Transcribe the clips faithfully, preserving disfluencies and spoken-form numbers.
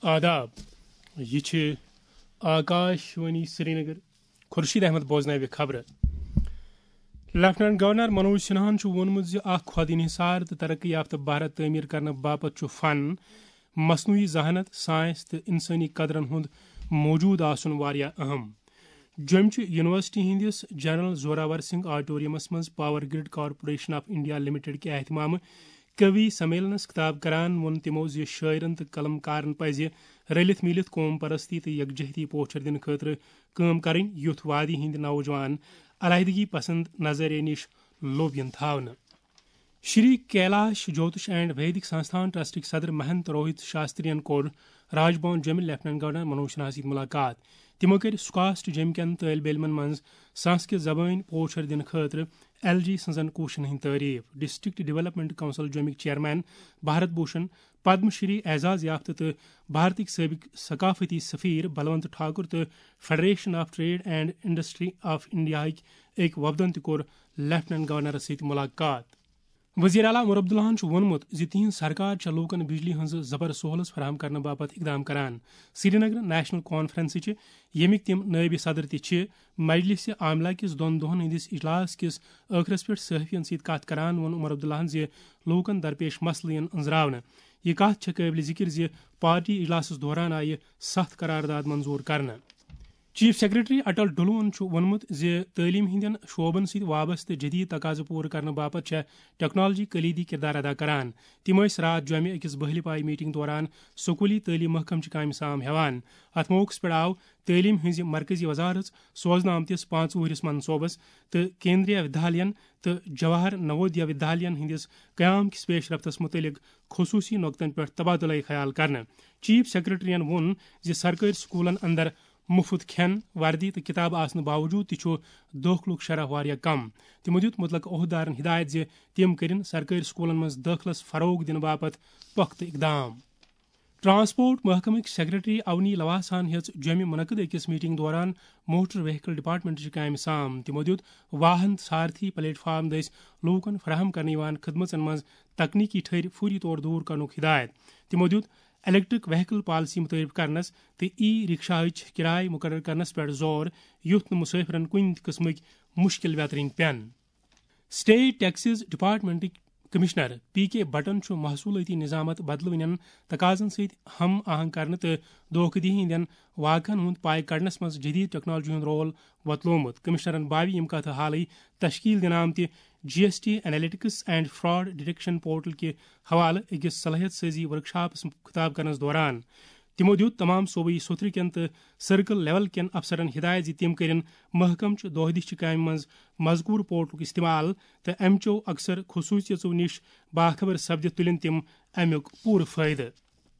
آداب، یہِ چھِ آکاش وانی سرینگر۔ خورشید احمد بوزناوِ خبرٕ۔ لیفٹیننٹ گورنر منوج سنہاہن چھُ ووٚنمُت زِ اکھ خود انحصار تہٕ ترقی یافتہٕ بھارت تعمیٖر کرنہٕ باپتھ چھُ فن، مصنوعی ذہانت، ساینس تہٕ انسٲنی قدرن ہُنٛد موجود آسُن واریاہ اہم۔ جوٚمچہِ یونیورسٹی ہٕنٛدِس جنرل زوراور سنگھ آڈیٹورمس منٛز power grid corporation of India limited کہِ اہتمامہٕ کوی سمیلنس خطاب کران ووٚن تِمو زِ شٲعرن تہٕ قلم کارن پزِ رٔلِتھ میٖلِتھ قوم پرستی تہٕ یکجہتی پوچھر دِنہٕ خٲطرٕ کٲم کرٕنۍ، یُتھ وادی ہٕنٛدۍ نوجوان علیحدگی پسند نظریہ نِش لوٚب یِن تھاونہٕ۔ شری کیلاش جوتش اینڈ ویدک سنستھان ٹرسٹٕکۍ صدر مہنت روہت شاسترین کوٚر راج بھون جوٚمہِ لیفٹیننٹ گورنر منوج سنہاہس سۭتۍ ملاقات۔ تِمو کٔرۍ سکاسٹ جوٚمہِ کٮ۪ن طٲلبہِ علمن منٛز سنسکرت زبٲنۍ پوچھر دِنہٕ خٲطرٕ ایل جی سٕنٛزن کوٗششن ہٕنٛز تعریف۔ ڈسٹرکٹ ڈیولپمنٹ کونسل جوٚمِکۍ چیئرمین بھارت بھوشن، پدم شری اعزاز یافتہٕ تہٕ بھارتٕکۍ سٲبق ثقافتی سفیر بلونت ٹھاکر تہٕ federation of trade and industry of انڈیاہٕکۍ أکۍ وفدن تہِ کوٚر لیفٹیننٹ گورنرس سۭتۍ ملاقات۔ وزیر اعلیٰ عمر عبداللہن چھُ ووٚنمُت زِ تِہنٛز سرکار چھےٚ لوٗکن بجلی ہٕنٛز زبر سہولژ فراہم کرنہٕ باپتھ اقدام کران۔ سری نگر نیشنل کانفرنسٕچہِ، ییٚمِکۍ تِم نٲیِب صدر تہِ چھِ، مجلس عاملہ کِس دۄن دۄہن ہٕنٛدِس اجلاس کِس ٲخرس پٮ۪ٹھ صحافین سۭتۍ کتھ کران ووٚن عمر عبداللہن زِ لوٗکن درپیش مسلہٕ یِن أنٛزراونہٕ۔ یہِ کتھ چھےٚ قٲبلِ ذِکر زِ پارٹی اجلاسس دوران آیہِ ستھ قرارداد منظور کرنہٕ۔ چیف سیکرٹری اٹل ڈلون چھُ ووٚنمُت زِ تعلیٖم ہٕنٛدٮ۪ن شعبن سۭتۍ وابستہٕ جدید تقاضہٕ پوٗرٕ کرنہٕ باپتھ چھےٚ ٹیکنالوجی کلیدی کردار ادا کران۔ تِم ٲسۍ راتھ جوٚمہِ أکِس بہلہِ پایہِ میٹنگ دوران سکوٗلی تعلیٖم محکمہٕ چہِ کامہِ سام ہٮ۪وان۔ اتھ موقعس پٮ۪ٹھ آو تعلیٖم ہٕنٛزِ مرکزی وزارت سوزنہٕ آمتِس پانٛژھ وُہرِس منصوبس تہٕ کیندریہ ودھالین تہٕ جواہر نوودیا ودھالین ہٕنٛدِس قیام کِس پیش رفتس مُتعلق خصوٗصی نۄقطن پٮ۪ٹھ تبادلہ خیال کرنہٕ۔ چیف سیکرٹریَن ووٚن زِ سرکٲرۍ سکوٗلن اندر مُفت کھٮ۪ن، وردی تہٕ کِتابہٕ آسنہٕ باوجوٗد تہِ چھُ دٲخلُک شرح واریاہ کم۔ تِمو دیُت مُتلقہٕ عہدٕدارن ہدایت زِ تِم کٔرِن سرکٲرۍ سکوٗلن منٛز دٲخلس فروغ دِنہٕ باپتھ پۄختہٕ اقدام۔ ٹرانسپورٹ محکمٕکۍ سیکرٹری اونی لواسان ہیٚژ جوٚمہِ منعقد أکِس میٹنگ دوران موٹر وہیکل ڈپارٹمنٹٕچہِ کامہِ سام۔ تِمو دیُت واہن سارتھی پلیٹ فارم دٔسۍ لوٗکن فراہم کرنہٕ یِوان خدمژن منٛز تکنیکی ٹھٔرۍ فوری طور دوٗر کرنُک ہدایت۔ تِمو دیُت الیکٹرک وہیکل پالیسی متعارف کرنس تہٕ ای رکشاہٕچ کرایہِ مقرر کرنس پٮ۪ٹھ زور، یُتھ نہٕ مسافرن کُنہِ تہِ قٕسمٕکۍ مُشکِل ویترٕنۍ پٮ۪ن۔ اسٹیٹ ٹیکسز ڈپارٹمنٹٕکۍ کمشنر پی کے بٹن چھُ محصوٗلٲتی نظامت بدلوٕنٮ۪ن تقاضن سۭتۍ ہم آہنگ کرنہٕ تہٕ دھوکہ دہی ہٕنٛدٮ۪ن واقعن ہُنٛد پاے کڑنس منٛز جدید ٹیکنالوجی ہُنٛد رول وۄتلومُت۔ کمشنرن باوِ یِم کتھٕ حالٕے تشکیل دِنہٕ آمتہِ G S T analytics and fraud detection portal کہِ حوالہٕ أکِس صلٲحیت سٲزی ورکشاپس خطاب کرنس دوران۔ تِمو دیُت تمام صوبٲئی سوٚتھرٕ کٮ۪ن تہٕ سرکل لیول کٮ۪ن افسرن ہدایت زِ تِم کٔرِن محکمہٕ چہِ دۄہ دِش چہِ کامہِ منٛز مذکور پورٹلُک استعمال تہٕ امہِ چو اکثر خصوصیژو نِش باخبر سپدِتھ تُلِن تِم امیُک پوٗرٕ فٲیدٕ۔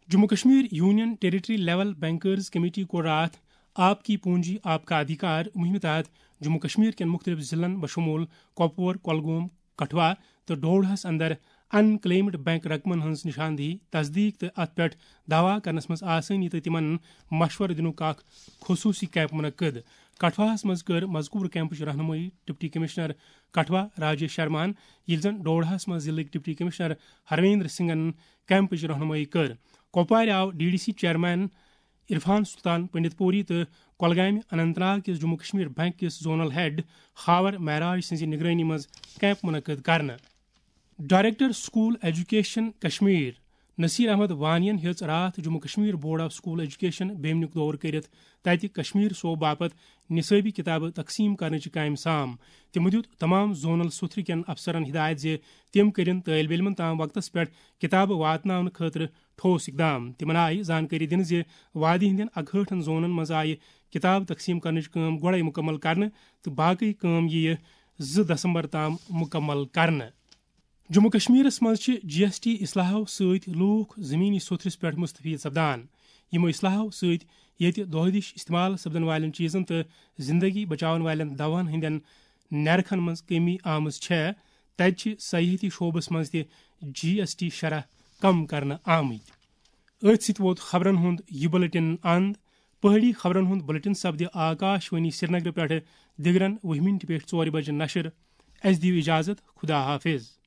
Jammu Kashmir union territory level bankers committee کوٚر راتھ آپ کی پونجی آپ کا ادھیکار مہمہِ تحت جموں کشمیر کٮ۪ن مختلف ضلعن بشمول کۄپور، کۄلگوم، کٹھوا تہٕ ڈوڈہس اندر ان کلیمڈ بینک رقمن ہٕنٛز نشاندہی، تصدیق تہٕ اتھ پٮ۪ٹھ دعویٰ کرنس منٛز آسٲنی تہٕ تِمن مشورٕ دِنُک اکھ خصوٗصی کیمپ منعقد۔ کٹھواہس منٛز کٔر مذکور کیمپٕچ رہنمٲیی ڈپٹی کمشنر کٹھوا راجیش شرماہن، ییٚلہِ زن ڈوڈہس منٛز ضلعٕکۍ ڈپٹی کمشنر ہرویندر سنگھن کیمپٕچ رہنمٲیی کٔر۔ کۄپوارِ آو D D C chairman Irfan Sultan Panditpuri تہٕ کۄلگامہِ اننت ناگ کِس جموں کشمیر بینک کِس زونل ہیڈ خاور معراج سٕنٛزِ نگرٲنی منٛز کیمپ منعقد کرنہٕ۔ Director school education Kashmir Naseer Ahmad وانین ہیٚژ راتھ Jammu Kashmir board of school education بیمنیُک دورٕ کٔرِتھ تتہِ کشمیر صوبہٕ باپتھ نصٲبی کتابہٕ تقسیٖم کرنٕچہِ کامہِ سام۔ تِمو دیُت تمام زونل سوٚتھرٕ کٮ۪ن افسرن ہدایت زِ تِم کٔرِن طٲلبہِ علمن تام وقتس پٮ۪ٹھ کتابہٕ واتناونہٕ خٲطرٕ ٹھوس اقدام۔ تِمن آیہِ زانکٲری دِنہٕ زِ وادی ہٕنٛدٮ۪ن اکہٲٹھن زونن منٛز آیہِ کتاب تقسیٖم کرنٕچ کٲم گۄڈَے مُکمل کرنہٕ تہٕ باقٕے کٲم یِیہِ زٕ دسمبر تام مُکمل کرنہٕ۔ جموں کشمیرس منٛز چھِ جی ایس ٹی اصلاحو سۭتۍ لوٗکھ زمینی سوٚتھرِس پٮ۪ٹھ مستفید سپدان۔ یِمو اصلاحو سۭتۍ ییٚتہِ دۄہ دِش استعمال سپدن والٮ۪ن چیٖزن تہٕ زندگی بچاون والٮ۪ن دواہن ہٕنٛدٮ۪ن نرخن منٛز کمی آمٕژ چھےٚ، تتہِ چھِ سیاحتی شعبس منٛز تہِ جی ایس ٹی شرح کم کرنہٕ آمٕتۍ۔ أتھۍ سۭتۍ ووت خبرن ہُنٛد یہِ بُلٹن اند۔ پہٲڑی خبرن ہُنٛد بُلٹن سپدِ آکاش وانی سرینگر پٮ۪ٹھٕ دِگرن وُہہِ مِنٹہِ پٮ۪ٹھ ژورِ بجہِ نشر۔ اسہِ دِیِو اجازت، خدا حافظ۔